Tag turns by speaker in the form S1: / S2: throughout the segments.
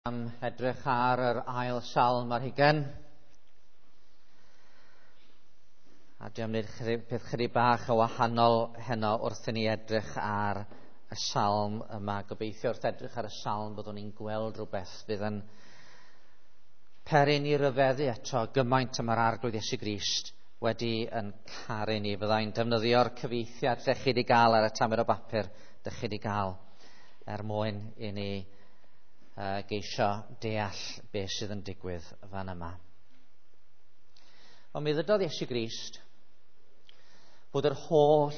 S1: Am edrych ar yr ail salm ar hugen. A dwi am wneud peth chydig bach o wahanol heno wrth i ni edrych ar y salm yma. Gobeithio wrth edrych ar y salm byddwn ni'n gweld rhywbeth fydd yn peri ni ryfeddu eto gymaint y mae'r Arglwydd Iesu Grist wedi yn caru ni. Fyddai'n defnyddio'r cyfieithiad lle chi wedi gael ar y tamed o bapur dych chi wedi gael er mwyn i ni geisio deall beth sydd yn digwydd fan yma. Ond mi ddydodd Iesu Grist bod yr holl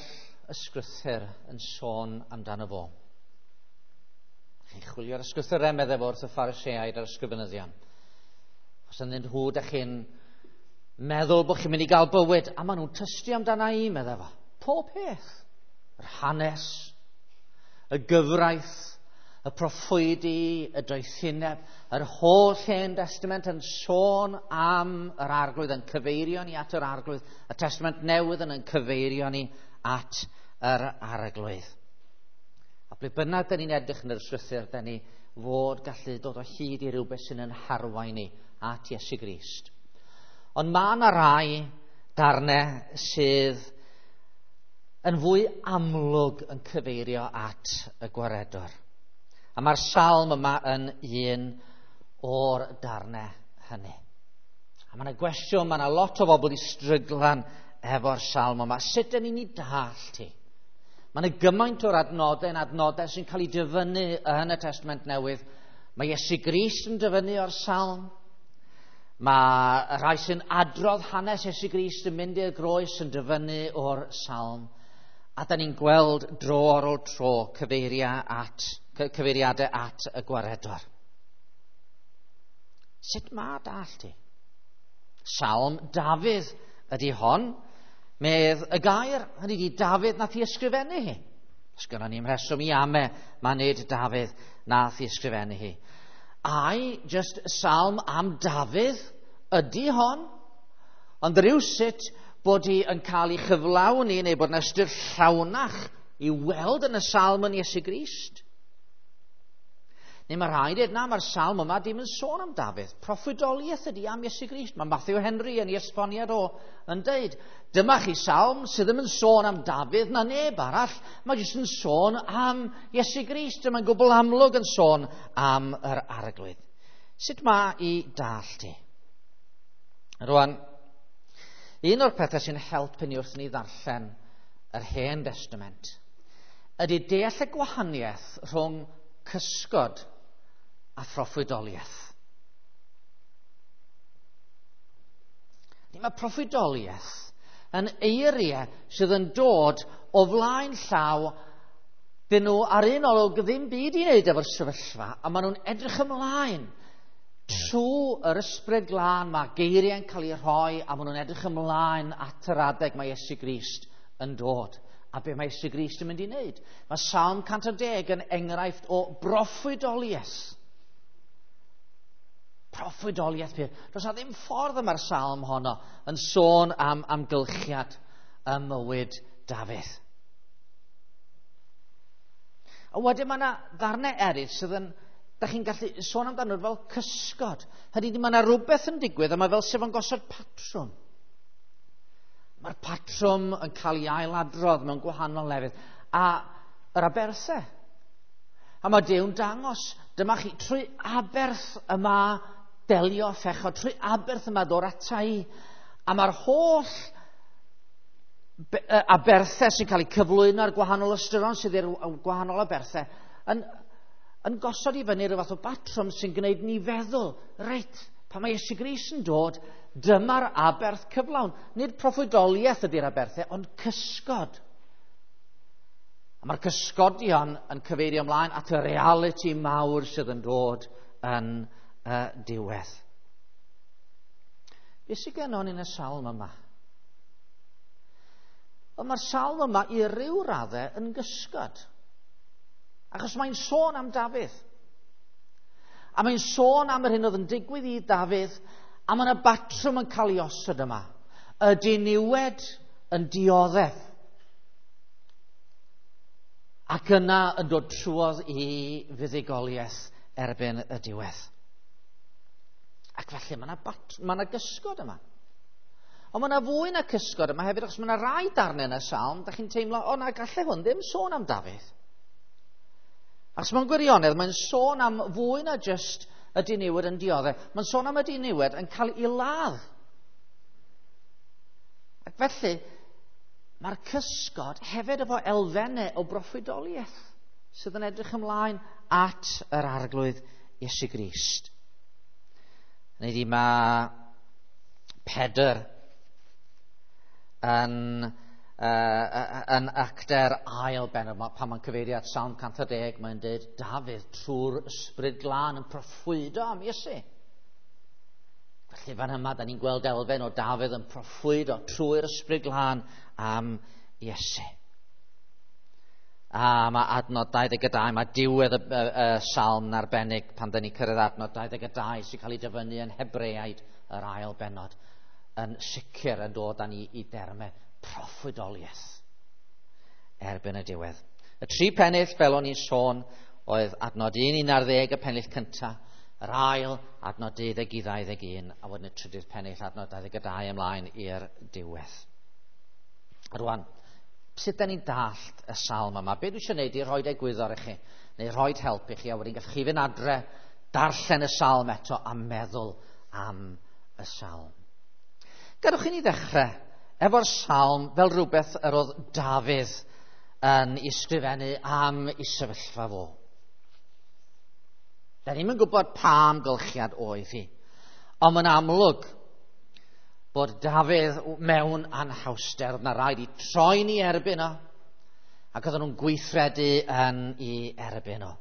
S1: ysgrythyr yn sôn amdano fo. Chi'n chwilio'r ysgrythyrau, meddai fo wrth y Phariseaid a'r ysgrifenyddion. Os ynddyn nhw, da chi'n meddwl bod chi'n mynd i gael bywyd, a maen nhw'n tystio amdana i, meddai fo. Pob peth. Yr hanes, y gyfraith, y proffwydi, y doethineb, yr holl Hen Testament yn sôn am yr Arglwydd, yn cyfeirio ni at yr Arglwydd, y Testament Newydd yn cyfeirio ni at yr Arglwydd. A ble bynnag da ni'n edrych yn yr ysgrythur, da ni fod gallu dod o hyd i rywbeth sy'n yn harwain ni at Iesu Grist. Ond mae yna rai darnau sydd yn fwy amlwg yn cyfeirio at y Gwaredwr. A mae'r salm yma yn un o'r darnau hynny. A mae yna gwestiwn, mae yna lot o bobl i stryglan efo'r salm yma. Sut dyn ni'n ei dallt hi? Mae yna gymaint o'r adnodau yn adnodau sy'n cael ei dyfynnu yn y Testament Newydd. Mae Iesu Grist yn dyfynnu o'r salm. Mae rhai sy'n adrodd hanes Iesu Grist yn mynd i'r groes yn dyfynnu o'r salm. A da ni'n gweld dro ar ôl tro cyfeiriadau at y Gwaredwr. Sut mae dallt hi? Salm Dafydd ydy hon. Medd y gair, hynny ydi Dafydd nath i ysgrifennu hi. Os gynnon ni'm rheswm i ame, mae nid Dafydd nath i ysgrifennu hi. Ai just salm am Dafydd ydy hon? Ond rhywsut bod hi yn cael ei chyflawni neu bod yna ystyr llawnach i weld yn y salm yn Iesu Grist. Neu mae rhaid dweud, na, mae'r salm yma dim yn sôn am Dafydd. Proffwydoliaeth ydy am Iesu Grist. Mae Matthew Henry yn ei esboniad o yn deud, dyma chi salm sydd ddim yn sôn am Dafydd na neb arall. Mae jyst yn sôn am Iesu Grist. Mae'n gwbl amlwg yn sôn am yr Arglwydd. Sut mae i dallt hi? Rwan, un o'r pethau sy'n helpu ni wrth ni ddarllen yr Hen Testament ydy deall y gwahaniaeth rhwng cysgod a phroffwydoliaeth. Mae proffwydoliaeth yn eiriau sydd yn dod o flaen llaw, dyn nhw ar un olwg ddim byd i wneud efo'r sefyllfa, a maen nhw'n edrych ymlaen. Trwy yr Ysbryd Glân mae geiriau'n cael eu rhoi a maen nhw'n edrych ymlaen at yr adeg mae Iesu Grist yn dod. A be mae Iesu Grist yn mynd i wneud? Mae Salm 110 yn enghraifft o broffwydoliaeth. Proffwydoliaeth pur. Does na ddim ffordd yma'r salm honno yn sôn am amgylchiad ym mywyd Dafydd. A wedyn mae yna ddarnau eraill sydd yn, da chi'n gallu sôn amdano fel cysgod. Hynny ydi, mae yna rhywbeth yn digwydd a mae fel sef yn gosod patrwm. Mae'r patrwm yn cael ei ailadrodd mewn gwahanol lefydd. A yr aberthau. A mae Duw'n dangos, dyma chi, trwy aberth yma delio phechod, trwy aberth yma ddod ata i. A mae'r holl aberthau sy'n cael eu cyflwyno ar gwahanol ystyron sydd i'r gwahanol aberthau yn gosod i fyny rhyw fath o batrwm sy'n gwneud ni feddwl, reit, pan mae Iesu Grist yn dod, dyma'r aberth cyflawn. Nid proffwydoliaeth ydy'r aberthau, ond cysgod. A mae'r cysgodion yn cyfeirio ymlaen at y realiti mawr sydd yn dod yn y diwedd. Be sydd gennon ni yn y salm yma? Wel, mae'r salm yma i ryw raddau yn gysgod. Achos mae'n sôn am Dafydd. A mae'n sôn am yr hyn oedd yn digwydd i Dafydd, a mae yna batrwm yn cael ei osod yma. Y diniwed yn dioddef. Ac yna yn dod trwodd i fuddugoliaeth erbyn y diwedd. Ac felly mae yna ma gysgod yma. Ond mae yna fwy na cysgod yma hefyd, achos mae yna rai darnau yn y salm, da chi'n teimlo, o na, gallai hwn ddim sôn am Dafydd. Achos mewn gwirionedd, mae'n sôn am fwy na jyst y diniwed yn dioddef. Mae'n sôn am y diniwed yn cael ei ladd. Ac felly, mae'r cysgod hefyd efo elfennau o broffwydoliaeth sydd yn edrych ymlaen at yr Arglwydd Iesu Grist. Neu di mae Pedr yn, yn actor ail bennod, pan mae'n cyfeirio at Salm 110, mae'n dweud Dafydd trwy'r ysbryd glân yn proffwydo am Iesu. Felly fan yma, da ni'n gweld elfen o Dafydd yn proffwydo trwy'r ysbryd glân am Iesu. A mae adnod 22, mae diwedd y salm yn arbennig pan da ni'n cyrraedd adnod 22 sy'n cael ei dyfynnu yn Hebreaid yr ail bennod, yn sicr yn dod â ni i dermau proffwydoliaeth erbyn y diwedd. Y tri pennill, fel o'n i'n sôn, oedd adnod 1 11 y pennill cyntaf, yr ail, adnod 12 i 21, a wedyn y trydydd pennill, adnod 22 ymlaen i'r diwedd. Rwan, sut da ni'n dallt y salm yma? Be dwi eisiau gwneud i rhoi egwyddor i chi, neu rhoi help i chi, a wedyn gallwch chi fynd adre, darllen y salm eto a meddwl am y salm. Gadwch i ni ddechrau efo'r salm fel rhywbeth yr oedd Dafydd yn ysgrifennu am ei sefyllfa fo. Da ni'm yn gwybod pa amgylchiad oedd hi, ond mae'n amlwg bod Dafydd mewn anhawster, oedd na rhaid i troi'n ei erbyn o, ac oedden nhw'n gweithredu yn ei erbyn o.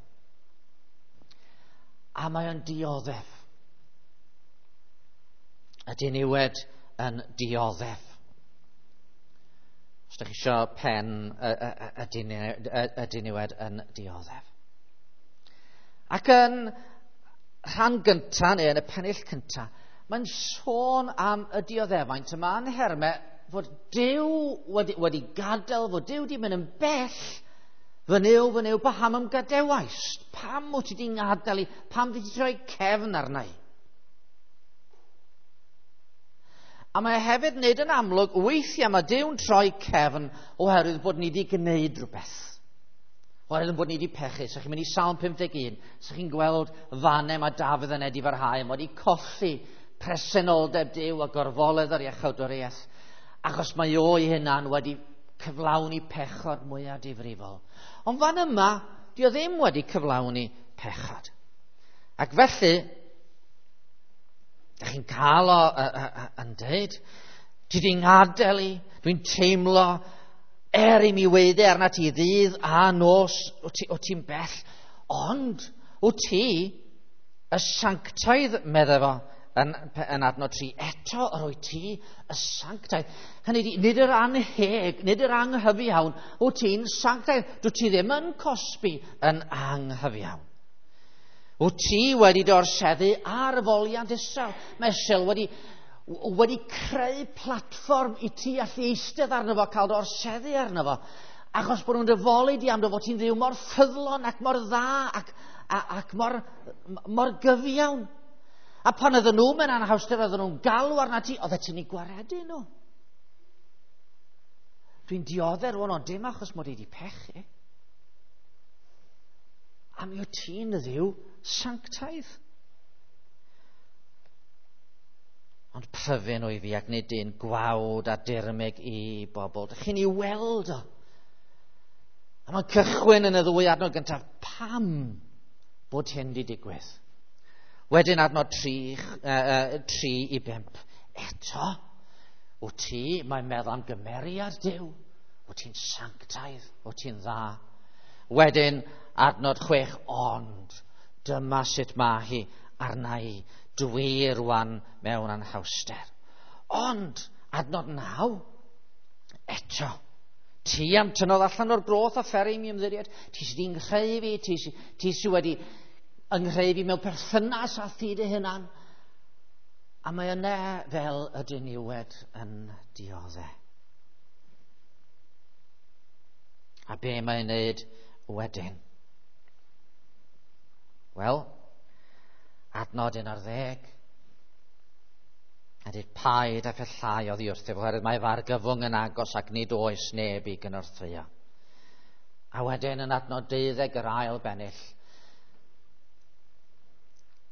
S1: A mae o'n dioddef. Y diniwed yn dioddef. Os ydych chi eisiau pen y diniwed yn dioddef. Ac yn rhan gyntaf, neu yn y pennill cyntaf, mae'n sôn am y dioddefaint yma yn nhermau fod Duw wedi gadael, fod Duw wedi mynd yn bell. Fy Nuw, paham ym gadawaist? Pam wyt ti wedi ngadael i? Pam ti wedi troi cefn arna i? A mae hefyd wneud yn amlwg, weithiau mae Duw'n troi cefn oherwydd bod ni wedi gwneud rhywbeth. Oherwydd bod ni wedi pechu. So chi'n mynd i Salm 51, so chi'n gweld fannau mae Dafydd yn edifarhau, mae wedi colli presenoldeb Duw a gorfoledd yr iachawdwriaeth, achos mae o'i hunan wedi cyflawni pechod mwyaf difrifol. Ond fan yma, di o ddim wedi cyflawni pechod. Ac felly, da chi'n cael o yn dweud, ti di ngadael i, dwi'n teimlo er i mi weiddi arna ti ddydd a nos, o ti'n bell, ond o ti y sanctaidd, medde fo, yn adnod 3, eto yr wyt ti y sanctaidd. Hynny ydi, nid yr anheg, nid yr anghyfiawn, wyt ti'n sanctaidd. Dwyt ti ddim yn cosbi yn anghyfiawn. Wyt ti wedi dorseddu ar foliant Israel. Mae Israel wedi creu platfform i ti allu eistedd arno fo, cael dorseddu arno fo. Achos bod nhw'n dyfoli di am dy fod ti'n ddiw mor ffyddlon ac mor dda ac mor gyfiawn. A pan oedden nhw mewn anhawster, oedden nhw'n galw arna ti, oeddet ti'n ei gwaredu nhw. Dwi'n dioddef rwan, ond dim achos mod i wedi pechu. A mi wyt ti'n ddiw sanctaidd. Ond pryfyn o'i fi ac nid un gwawd a dirmyg i bobl. Dych chi'n ei weld o. A mae'n cychwyn yn y ddwy adnod gyntaf, pam bod hyn wedi digwydd? Wedyn adnod 3 i 5. Eto, wyt ti, mae'n meddwl am gymeriad Duw. Wyt ti'n sanctaidd, wyt ti'n dda. Wedyn adnod 6, ond dyma sut mae hi arna i. Dwi rwan mewn anhawster. Ond adnod 9, eto, ti am tynnodd allan o'r groth a pheri mi ymddiried. Ti sydd wedi'n nghreu fi, ti sydd wedi ynghreu fi mewn perthynas â thi dy hunan. A mae yna fel y diniwed yn dioddef. A be mae'n wneud wedyn? Wel, adnod 11. A dweud paid a phellhau oddi wrthyf, oherwydd mae fy argyfwng yn agos ac nid oes neb i gynorthwyo. A wedyn yn adnod 12 yr ail bennill,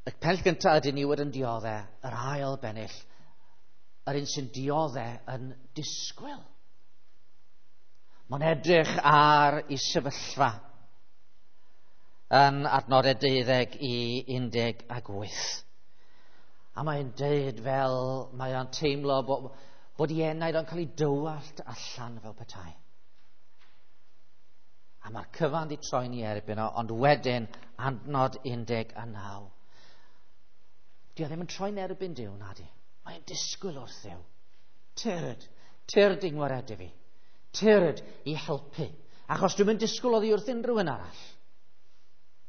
S1: y pell gyntaf ydy niwed yn diodde, yr ail bennill, yr un sy'n diodde yn disgwyl. Mae'n edrych ar ei sefyllfa yn adnodau 12 i 18. A mae'n deud fel mae o'n teimlo bod ei enaid o'n cael ei dywallt allan fel petai. A mae'r cyfan di troi'n ei erbyn o, ond wedyn adnod 19. Di o ddim yn troi'n erbyn Duw, na di. Mae'n disgwyl wrth Dduw. Tyrd, tyrd i ngwaredu fi. Tyrd i helpu. Achos dwi'n mynd disgwyl oddi wrth unrhyw un arall.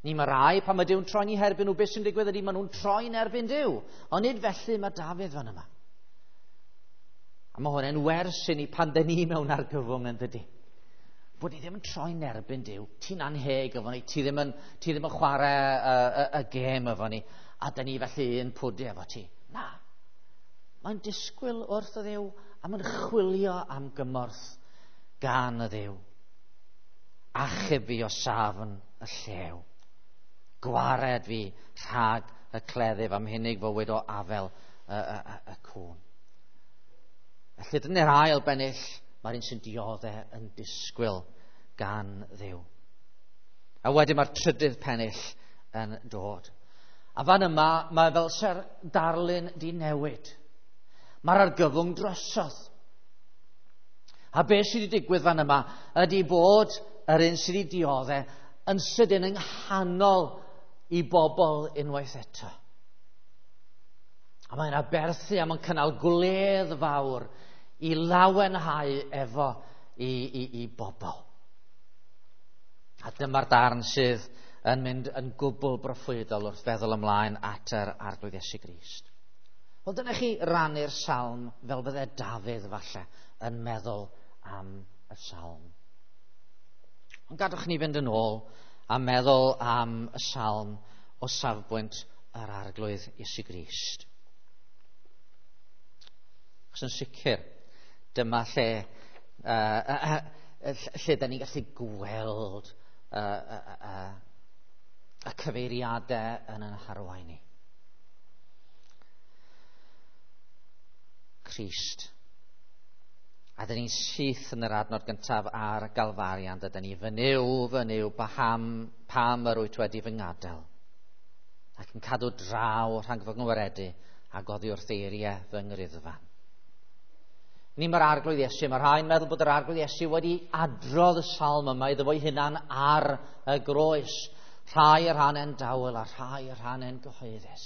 S1: Ni mae rai, pan mae Duw'n troi'n ei herbyn nhw, beth sy'n digwydd ydy maen nhw'n troi'n erbyn Duw. Ond nid felly mae Dafydd fan yma. A mae hwn yn wers i ni pan dyn ni mewn argyfwng yn dydy. Bod ni ddim yn troi'n erbyn Duw. Ti'n anheg efo ni, ti ddim yn, ti ddim yn chwarae y gêm efo ni, a dyn ni felly yn pwdu efo ti. Na. Mae'n disgwyl wrth y Dduw a mae'n chwilio am gymorth gan y Dduw. Achub fi o safn y llew. Gwared fi rhag y cleddyf am hunig fywyd o afel y cŵn. Felly dyna'r ail bennill, mae'r un sy'n diodde yn disgwyl gan Dduw. A wedyn mae'r trydydd pennill yn dod. A fan yma, mae fel se'r darlun di newid. Mae'r argyfwng drosodd. A beth sydd wedi digwydd fan yma ydy bod yr un sydd wedi diodde yn sydyn yng nghanol i bobl unwaith eto. A mae'n aberthu a mae'n cynnal gwledd fawr i lawenhau efo i bobl. A dyma'r darn sydd yn mynd yn gwbl broffwydol wrth feddwl ymlaen at yr Arglwydd Iesu Grist. Wel, dyna chi rannu'r salm fel bydde Dafydd falle yn meddwl am y salm. Ond gadwch ni fynd yn ôl a meddwl am y salm o safbwynt yr Arglwydd Iesu Grist. Achos yn sicr, dyma lle, lle da ni'n gallu gweld y cyfeiriadau yn ein harwain ni. Crist. A dyn ni'n syth yn yr adnod gyntaf ar Galfarian. Dydyn ni, fy Nuw, fy Nuw, pam yr wyt wedi fy ngadael? Ac yn cadw draw rhag fy ngwaredu ac oddi wrth eiriau fy ngriddfan. Ni mae'r Arglwydd Iesu, mae rhai'n meddwl bod yr Arglwydd Iesu wedi adrodd y salm yma iddo fo'i hunan ar y groes. Rhai y rhannau'n dawel a rhai y rhannau'n gyhoeddus.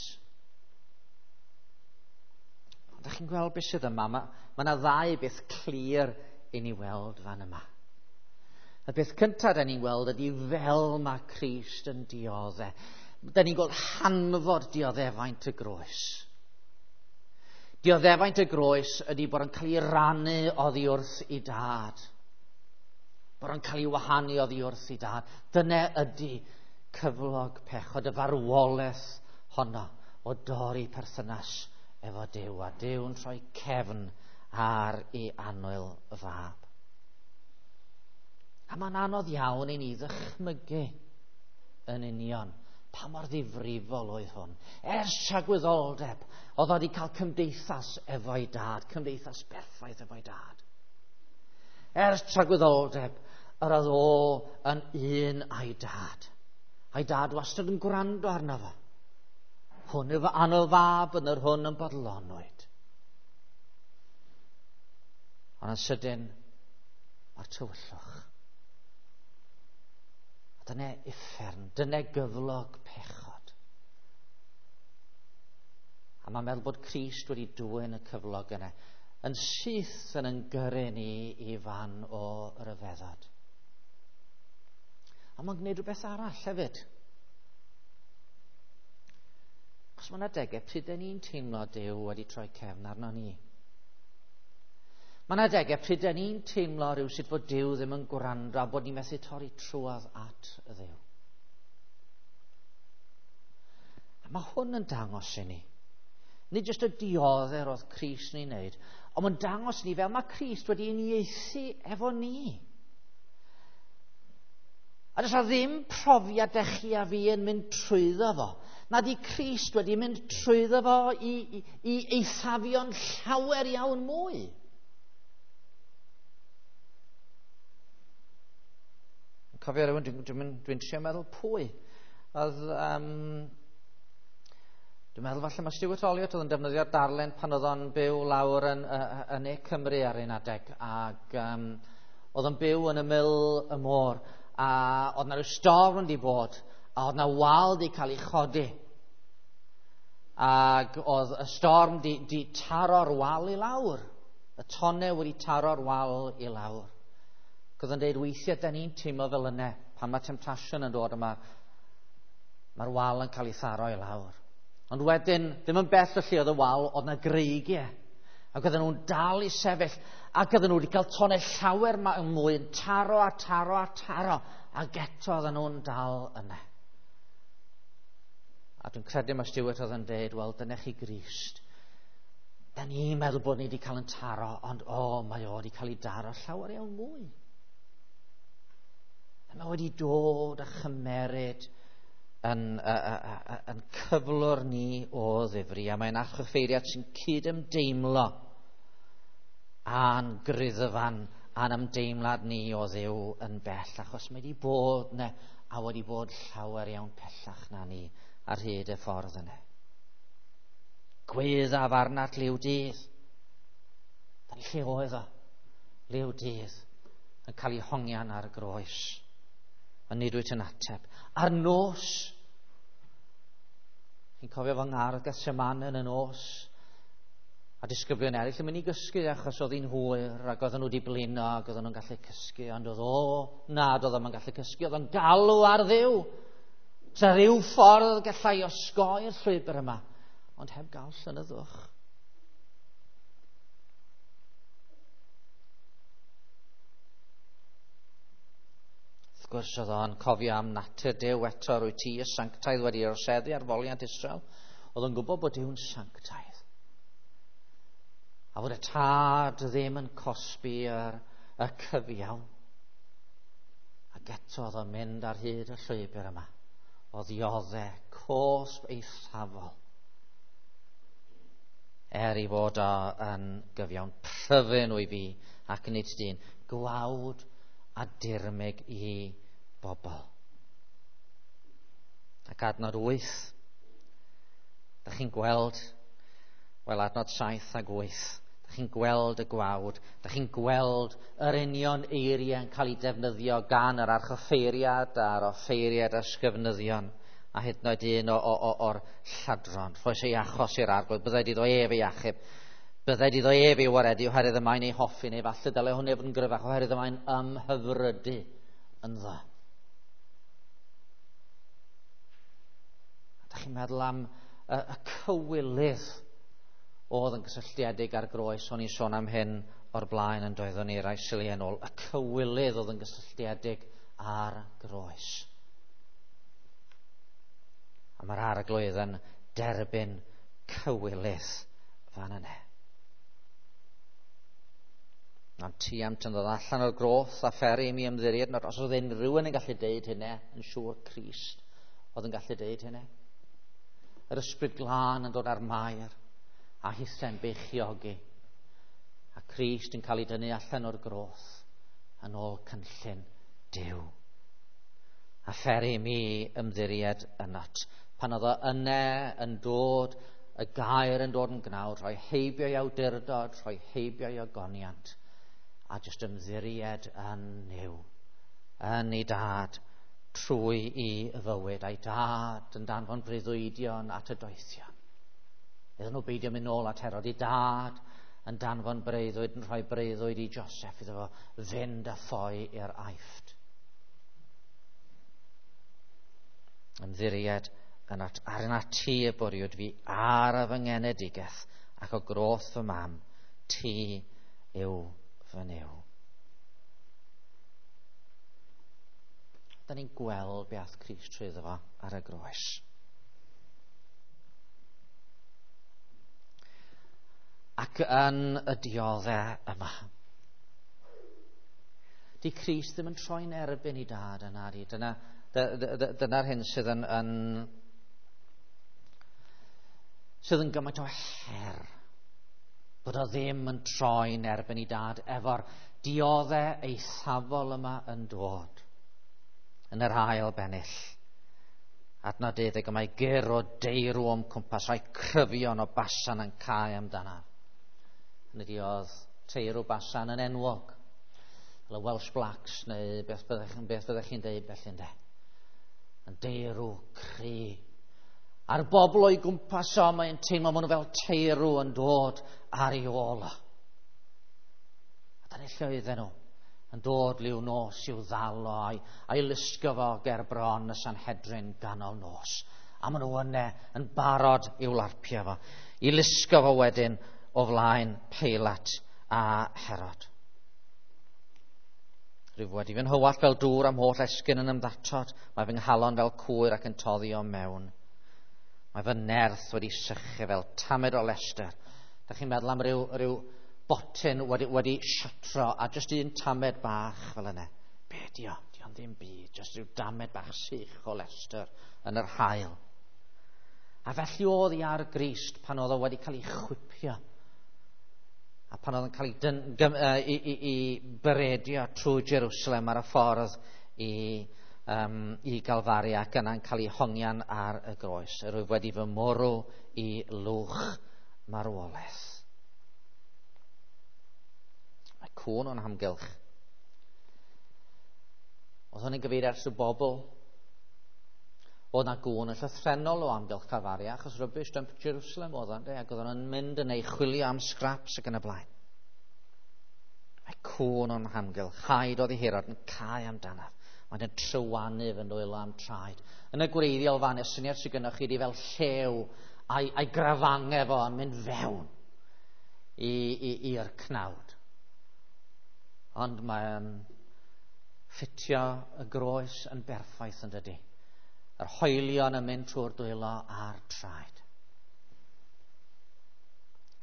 S1: Ond ydych chi'n gweld beth sydd yma? Mae yna ddau beth clir i ni weld fan yma. Y beth cyntaf da ni'n gweld ydy fel mae Crist yn diodde. Da ni'n gweld hanfod dioddefaint y groes. Dioddefaint y groes ydy bod yn cael ei rannu oddi wrth ei dad. Bod yn cael ei wahanu oddi wrth ei dad. Dyna ydy cyflog pechod, y farwolaeth honno o dorri perthynas efo Duw, a Duw'n troi cefn ar ei annwyl fab. A mae'n anodd iawn i ni ddychmygu yn union pa mor ddifrifol oedd hwn. Ers tragwyddoldeb, oedd wedi cael cymdeithas efo'i dad, cymdeithas berffaith efo'i dad. Ers tragwyddoldeb, yr oedd o yn un a'i dad. A'i dad wastad yn gwrando arno fo. Hwn yw fy annwyl fab, yn yr hwn yn bodlonwyd. Ond yn sydyn, mae'r tywyllwch. A dyna uffern, dyna gyflog pechod. A mae'n meddwl bod Crist wedi dwyn y cyflog yna, yn syth yn gyrru ni i fan o ryfeddod. A mae'n gwneud rhywbeth arall hefyd. Achos mae yna adegau pryd dyn ni'n teimlo Duw wedi troi cefn arno ni. Mae yna adegau pryd dyn ni'n teimlo rhywsut fod Duw ddim yn gwrando a bod ni'n methu torri trwodd at y Dduw. A mae hwn yn dangos i ni. Nid jyst y diodder oedd Crist yn ei wneud, ond mae'n dangos ni fel mae Crist wedi uniaethu efo ni. A does 'na ddim profiad dych chi a fi yn mynd trwyddo fo. Nad i Crist wedi mynd trwyddo fo i eithafion llawer iawn mwy. Cofio rhywun, dwi'n trio meddwl pwy. Oedd, dwi'n meddwl falle mae Stuart Olliott oedd yn defnyddio'r darllen pan oedd o'n byw lawr yn Ne Cymru ar un adeg. Ac oedd o'n byw yn ymyl y môr. A oedd na rhyw storm wedi bod, a oedd na wal wedi cael ei chodi. Ac oedd y storm di taro'r wal i lawr. Y tonnau wedi taro'r wal i lawr. Ac oedd yn dweud, weithiau da ni'n teimlo fel yna, pan mae temptation yn dod yma, mae'r wal yn cael ei tharo i lawr. Ond wedyn, ddim yn bell o lle oedd y wal, oedd na greigiau. Ac oedden nhw'n dal i sefyll, ac oedden nhw wedi cael tonnau llawer mwy yn taro a taro a taro, ac eto oedden nhw'n dal yna. A dwi'n credu mae Stuart oedd yn dweud, wel, dyna chi Grist. Da ni'n meddwl bod ni wedi cael yn taro, ond o, mae o wedi cael ei daro llawer iawn mwy. A mae wedi dod a chymeryd yn cyflwr ni o ddifri, a mae'n archoffeiriad sy'n cydymdeimlo a'n greddfan a'n ymdeimlad ni o Dduw yn bell, achos mae wedi bod yna a wedi bod llawer iawn pellach na ni ar hyd y ffordd yna. Gweddaf arnat liw dydd. Dyna lle oedd o, liw dydd, yn cael ei hongian ar y groes. A nid wyt yn ateb. A'r nos, chi'n cofio fy ngardd Gethsemane yn y nos, a disgyblion eraill yn mynd i gysgu achos oedd hi'n hwyr ac oedden nhw wedi blino ac oedden nhw'n gallu cysgu, ond oedd o, nad oedd o'n gallu cysgu, oedd o'n galw ar Dduw. Sa rhyw ffordd gallai osgoi'r llwybr yma, ond heb gael llonyddwch. Wrth gwrs oedd o'n cofio am natur Duw eto, rwy ti y sanctaidd wedi orseddu ar foliant Israel. Oedd o'n gwybod bod Duw'n sanctaidd. A fod y tad ddim yn cosbi y cyfiawn. Ac eto oedd o'n mynd ar hyd y llwybr yma. O ddioddau cosb eithafol. Er i fod o yn gyfiawn, pryfyn wyf fi ac nid dyn, gwawd a dirmyg i bobl. Ac adnod 8, da chi'n gweld, wel adnod 7 ag 8, da chi'n gweld y gwawd, da chi'n gweld yr union eiriau yn cael ei defnyddio gan yr archoffeiriad a'r offeiriad a'r sgyfnyddion, a hyd yn oed un o'r lladron. Rhoes ei achos i'r arglwydd, byddai iddo ef ei achub, byddai iddo ef ei waredu oherwydd y mae'n ei hoffi, neu falle dylai hwnna fod yn gryfach oherwydd y mae'n ymhyfrydu ynddo. A da chi'n meddwl am y cywilydd oedd yn gysylltiedig â'r groes, o'n i'n sôn am hyn o'r blaen yn doeddwn ni rai siliau yn ôl, y cywilydd oedd yn gysylltiedig â'r groes. A mae'r arglwydd yn derbyn cywilydd fan yna. Ond ti am tynnodd allan o'r groth a pheri i mi ymddiried, nad os oedd unrhyw un yn gallu deud hynny, yn siŵr Crist oedd yn gallu deud hynny. Yr ysbryd glân yn dod ar Mair a hithen beichiogi, a Crist yn cael ei dynnu allan o'r groth yn ôl cynllun Duw. A pheri i mi ymddiried ynot. Pan oedd o yna yn dod, y gair yn dod yn gnawd, rhoi heibio i awdurdod, rhoi heibio i ogoniant, a jyst ymddiried yn Nuw, yn ei dad, trwy i fywyd, a'i dad yn danfon breuddwydion at y doethion. Iddyn nhw beidio mynd nôl at Herod, ei dad yn danfon breuddwyd, yn rhoi breuddwyd i Joseph iddo fo fynd a ffoi i'r Aifft. Ymddiried yn at, ar yna ti y bwriwyd fi ar y fy ngenedigaeth ac o groth fy mam, ti yw fy Nuw. Da ni'n gweld be ath Crist trwyddo fo ar y groes. ac yn y dioddau yma. Di Crist ddim yn troi'n erbyn i dad yna. Dyna'r hyn sydd yn gymaint o her. Bod o ddim yn troi'n erbyn i dad efo'r dioddau eithafol yma yn dod yn yr ail bennill. Adnod 12, mae gyr o deirw o'm cwmpas, rhai cryfion o Basan yn cae amdanaf. Hynny ydi, oedd teirw Basan yn enwog, fel y Welsh Blacks neu beth byddech chi'n deud felly ynde. Yn deirw cry. A'r bobl o'i gwmpas o, mae'n teimlo maen nhw fel teirw yn dod ar ei ôl o. A dyna lle oedden nhw yn dod liw nos i'w ddal o a'i lusgo fo ger bron y Sanhedrin ganol nos. A maen nhw yna yn barod i'w larpio fo, i lusgo fo wedyn o flaen Peilat a Herod. Rwyf wedi fy nhywallt fel dŵr am holl esgyn yn ymddatod. Mae fy nghalon fel cwyr ac yn toddi o mewn. Mae fy nerth wedi sychu fel tamed o lester. Da chi'n meddwl am ryw botyn wedi siatro a jyst un tamed bach fel yna. Be di o? Di o'n ddim byd. Jyst rhyw damed bach sych o lester yn yr haul. A felly oedd hi ar Grist pan oedd o wedi cael ei chwipio. A pan oedd yn cael ei beredio trwy Jerusalem ar y ffordd i Galfari ac yna'n cael ei hongian ar y groes. Yr wyf wedi fy mwrw i lwch marwolaeth. Mae cŵn o'n hamgylch. Oedd hwn yn gyfeirio at y bobl. Oedd na gŵn yn llythrennol o amgylch Calfaria, achos rubbish dump Jerusalem oedd o'n, ac oedd o'n mynd yn ei chwilio am scraps ac yn y blaen. Mae cŵn o'n hamgylch, haid oedd i Herod yn cae amdanaf. Mae'n yn trywanu fy nwylo am traed. Yn y gwreiddiol fan, y syniad sydd gynnwch chi di fel llew a'i grafangau fo yn mynd fewn i'r cnawd. Ond mae'n ffitio y groes yn berffaith yn dydy. Yr hoelion yn mynd trwy'r dwylo a'r traed.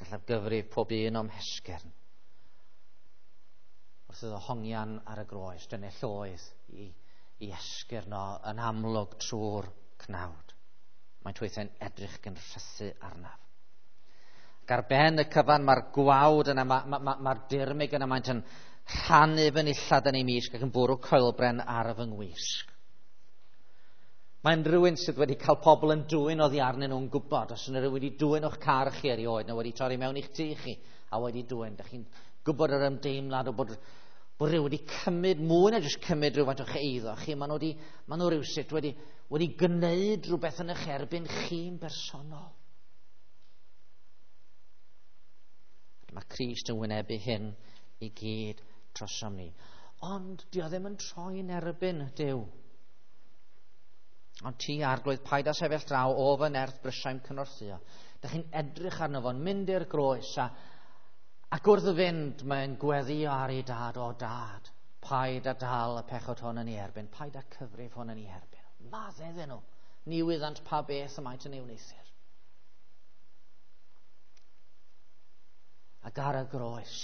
S1: Gallaf gyfrif pob un o'm hesgyrn. Wrth iddo hongian ar y groes, dyna lloedd i esgyrn o yn amlwg trwy'r cnawd. Mae'n tweithau'n edrych gan rhythu arnaf. Ac ar ben y cyfan mae'r gwawd yna, mae'r dirmyg yna, mae'n yn rhannu fy nillad yn ei misg ac yn bwrw coelbren ar fy ngwisg. Mae'n rhywun sydd wedi cael pobl yn dwyn oddi arnyn nhw'n gwybod. Os yna rhywun wedi dwyn o'ch car chi erioed, neu wedi torri mewn i'ch tŷ chi a wedi dwyn. Dych chi'n gwybod yr ymdeimlad o bod rhywun wedi cymryd mwy na jyst cymryd rhywfaint o'ch eiddo chi. Maen nhw rhywsut wedi gwneud rhywbeth yn eich erbyn chi'n bersonol. Mae Crist yn wynebu hyn i gyd trosom ni. Ond dio ddim yn troi'n erbyn Duw. Ond ti, Arglwydd, paid â sefyll draw o fy nerth brysiau'm cynorthwyo. Dych chi'n edrych arno fo'n mynd i'r groes ac wrth fynd mae'n gweddio ar ei dad, o dad, paid â dal y pechod hwn yn ei erbyn, paid â cyfrif hwn yn ei erbyn. Maddau iddyn nhw, ni wyddant pa beth y maent yn ei wneuthur. Ac ar y groes,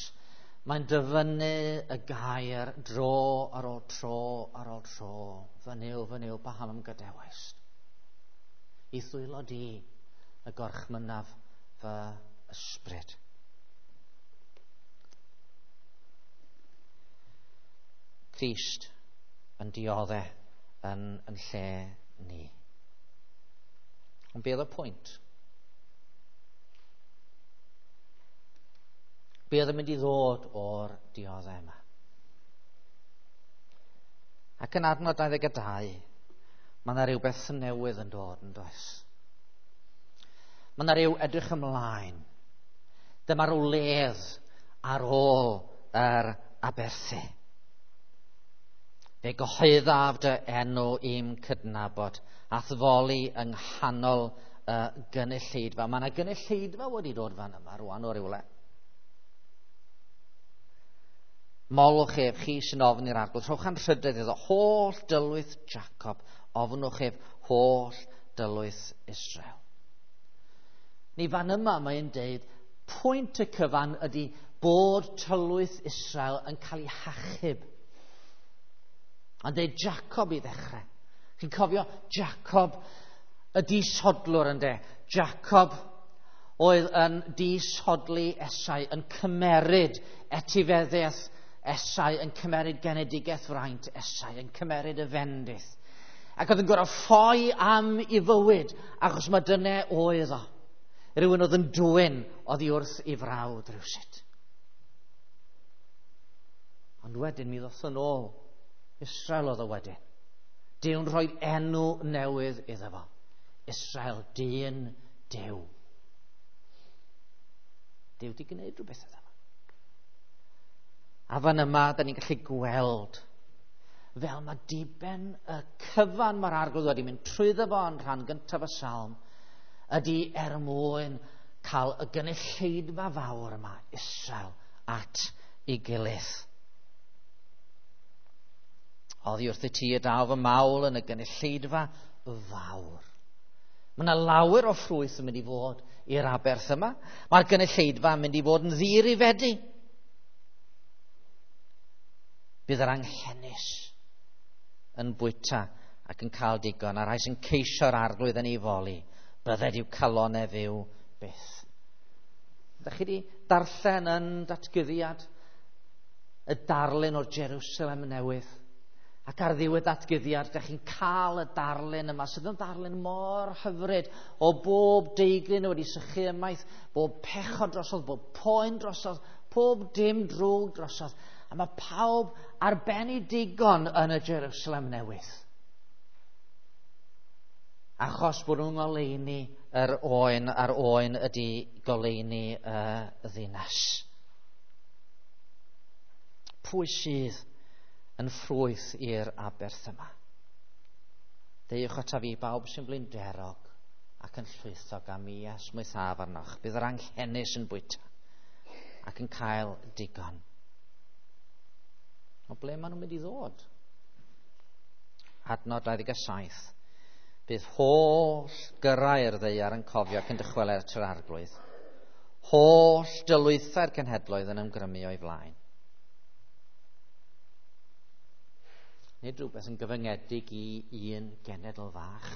S1: mae'n dyfynnu y gair dro ar ôl tro ar ôl tro. Fy Nuw, paham ym gadawaist? I ddwylo di y gorchmynnaf fy ysbryd. Crist yn dioddau yn lle ni. Ond be oedd y pwynt? Be oedd yn mynd i ddod o'r dioddau yma? Ac yn adnod 22, mae yna rhywbeth newydd yn dod yn does. Mae yna rhyw edrych ymlaen. Dyma rhyw ledd ar ôl yr aberthu. Fe gyhoeddaf dy enw i'm cydnabod, a'th foli yng nghanol y gynulleidfa. Mae yna gynulleidfa wedi dod fan yma rwan o rywle. Molwch ef, chi sy'n ofn i'r Arglwydd. Rhowch anrhydedd iddo, holl dylwyth Jacob. Ofnwch ef, holl dylwyth Israel. Ni fan yma mae'n deud, Pwynt y cyfan ydy bod tylwyth Israel yn cael ei hachub. Ond dweud Jacob i ddechrau. Chi'n cofio Jacob y disodlwr ynde? Jacob oedd yn disodli Esau, yn cymeryd etifeddiaeth Esau, yn cymeryd genedigaeth fraint Esau, yn cymeryd y fendith. Ac oedd yn gorfod ffoi am ei fywyd, achos mae dyna oedd o. Rhywun oedd yn dwyn oddi wrth ei frawd rhywsut. Ond wedyn mi ddoth yn ôl. Israel oedd o wedyn. Duw'n rhoi enw newydd iddo fo. Israel, dyn Duw. Duw di gwneud rhywbeth iddo fo. A fan yma, da ni'n gallu gweld fel mae diben y cyfan mae'r Arglwydd wedi mynd trwyddo fo yn rhan gyntaf y salm ydy er mwyn cael y gynulleidfa fawr yma, Israel, at ei gilydd. Oddi wrth y ti y daw fy mawl yn y gynulleidfa fawr. Mae yna lawer o ffrwyth yn mynd i fod i'r aberth yma. Mae'r gynulleidfa yn mynd i fod yn ddirifedi. Bydd yr anghenus yn bwyta ac yn cael digon, a rhai sy'n ceisio'r Arglwydd yn ei foli, bydded i'w calonau fyw byth. Ydych chi wedi darllen yn datguddiad y darlun o'r Jerusalem newydd? Ac ar ddiwedd datguddiad, ydych chi'n cael y darlun yma, sydd yn darlun mor hyfryd o bob deigryn wedi sychu ymaith, bob pechod drosodd, bob poen drosodd, pob dim drwg drosodd. A mae pawb ar ben ei digon yn y Jerusalem newydd. Achos bod nhw'n ngoleuni yr oen, a'r oen ydy goleuni y ddinas. Pwy sydd yn ffrwyth i'r aberth yma? Deuwch ataf fi bawb sy'n blinderog ac yn llwythog, a mi esmwythaf arnoch. Bydd yr anghenus yn bwyta ac yn cael digon. O ble maen nhw'n mynd i ddod? Adnod 27. Bydd holl gyrrau'r ddaear yn cofio ac yn dychwelyd at yr Arglwydd. Holl dylwythau'r cenhedloedd yn ymgrymu o'i flaen. Nid rhywbeth yn gyfyngedig i un genedl fach.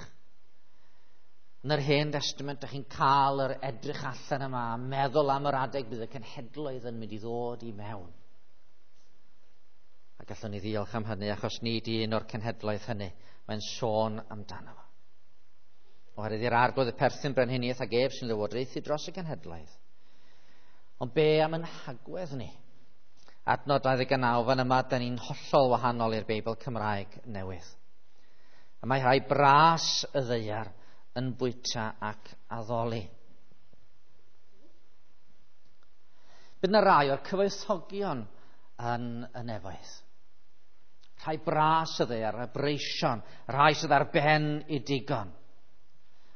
S1: Yn yr Hen Testament, dych chi'n cael yr edrych allan yma, a meddwl am yr adeg bydd y cenhedloedd yn mynd i ddod i mewn. A gallwn ni ddiolch am hynny, achos nid un o'r cenhedloedd hynny mae'n sôn amdano fo. Oherwydd i'r Arglwydd y perthyn brenhiniaeth ag ef sy'n lywodraethu dros y cenhedloedd. Ond be am yn hagwedd ni? Adnod 29 fan yma, da ni'n hollol wahanol i'r Beibl Cymraeg newydd. A mae rhai bras y ddaear yn bwyta ac addoli. Bydd yna rai o'r cyfoethogion yn y nefoedd. Rhai bras y ddaear, y breision, rhai sydd ar ben i digon.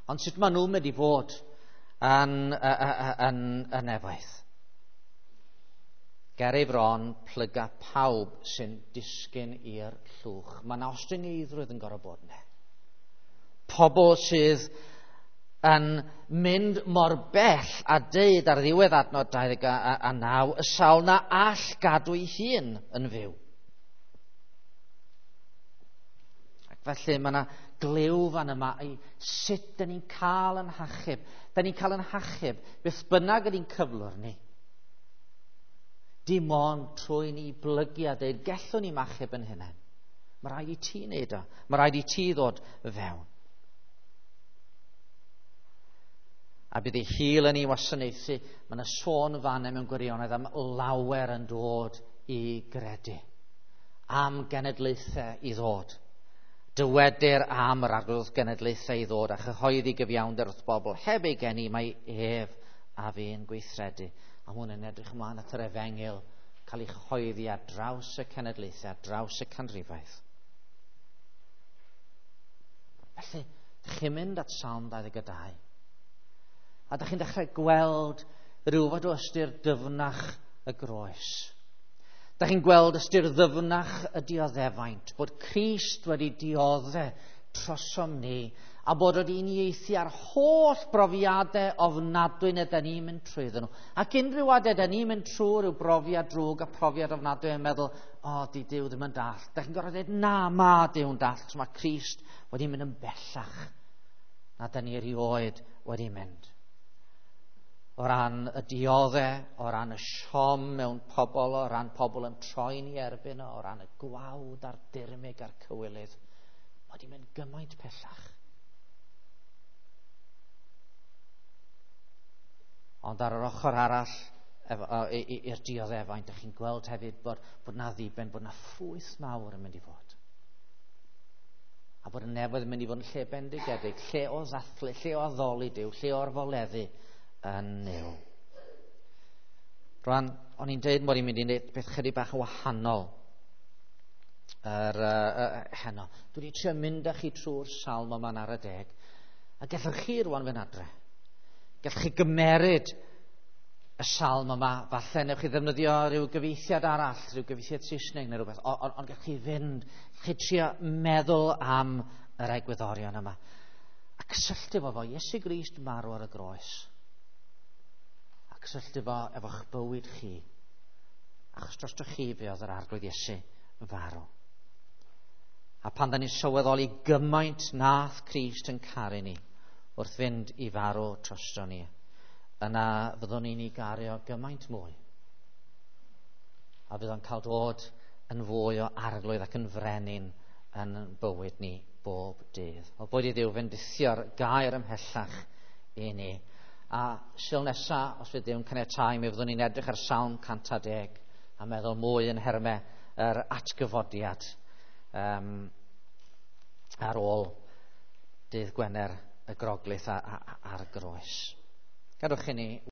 S1: Ond sut maen nhw'n mynd i fod yn y nefoedd? Ger ei fron plyga pawb sy'n disgyn i'r llwch. Mae yna ostyngeidrwydd yn gorfod bod yna. Pobl sydd yn mynd mor bell a deud ar ddiwedd adnod 29, y sawl na all gadw ei hun yn fyw. Ac felly mae yna glyw fan yma i sut dyn ni'n cael yn hachub. Dyn ni'n cael yn hachub beth bynnag ydy'n cyflwr ni. Dim ond trwy ni blygu a deud, gellwn ni machub yn hunain. Mae rhaid i ti wneud o. Mae rhaid i ti ddod fewn. A bydd ei hil yn ei wasanaethu. Mae yna sôn fan mewn gwirionedd am lawer yn dod i gredu. Am genedlaethau i ddod. Dywedir am yr Arglwydd genedlaethau i ddod a chyhoeddi gyfiawnder wrth bobl. Heb ei geni mae ef a fi'n gweithredu. A hwn yn edrych ymlaen at yr efengyl cael ei chyhoeddi ar draws y cenedlaethau, ar draws y canrifoedd. Felly, dych chi'n mynd at Salm 22. A dych chi'n dechrau gweld rhywfaint o ystyr dyfnach y groes. Dych chi'n gweld ystyr ddyfnach y dioddefaint, bod Crist wedi diodde trosom ni, a bod wedi uniaethu ar holl brofiadau ofnadwy na da ni'n mynd trwyddyn nhw. Ac unrhyw adeg da ni'n mynd trwy rhyw brofiad drwg a profiad ofnadwy yn meddwl, o, di Duw ddim yn dallt. Da chi'n gorfod dweud, na, ma Duw'n dallt, mae Crist wedi mynd yn bellach na da ni erioed wedi mynd. O ran y dioddau, o ran y siom mewn pobl, o ran pobl yn troi'n ei erbyn, o ran y gwawd a'r dirmyg a'r cywilydd, mae wedi mynd gymaint pellach. Ond ar yr ochr arall i'r dioddefaint, dych chi'n gweld hefyd bod na ddiben, bod na ffrwyth mawr yn mynd i fod. A bod y nefoedd yn mynd i fod yn lle bendigedig, lle o ddathlu, lle o addoli Duw, lle o orfoleddu yn Nuw. Rwan, o'n i'n deud mod i'n mynd i wneud beth chydig bach yn wahanol heno. Dwi wedi trio mynd â chi trwy'r salm yma'n ar y deg. A gallwch chi rwan fynd adre. Gallwch chi gymeryd y salm yma, falle newch chi ddefnyddio rhyw gyfieithiad arall, rhyw gyfieithiad Saesneg neu rhywbeth, ond gallwch chi fynd, gallwch chi trio meddwl am yr egwyddorion yma. A cysylltu fo Iesu Grist marw ar y groes. A cysylltu fo efo'ch bywyd chi. Achos drostoch chi fe oedd yr Arglwydd Iesu farw. A pan da ni'n sylweddoli gymaint nath Crist yn caru ni wrth fynd i farw drosto ni, yna fyddwn ni'n ei gario gymaint mwy. A fydd o'n cael dod yn fwy o arglwydd ac yn frenin yn bywyd ni bob dydd. O boed i Dduw fendithio'r gair ymhellach i ni. A Sul nesa, os fydd Duw'n caniatáu, mi fyddwn ni'n edrych ar Salm 110 a meddwl mwy yn nhermau yr atgyfodiad ar ôl dydd Gwener y Groglith ar y groes. Gadwch i ni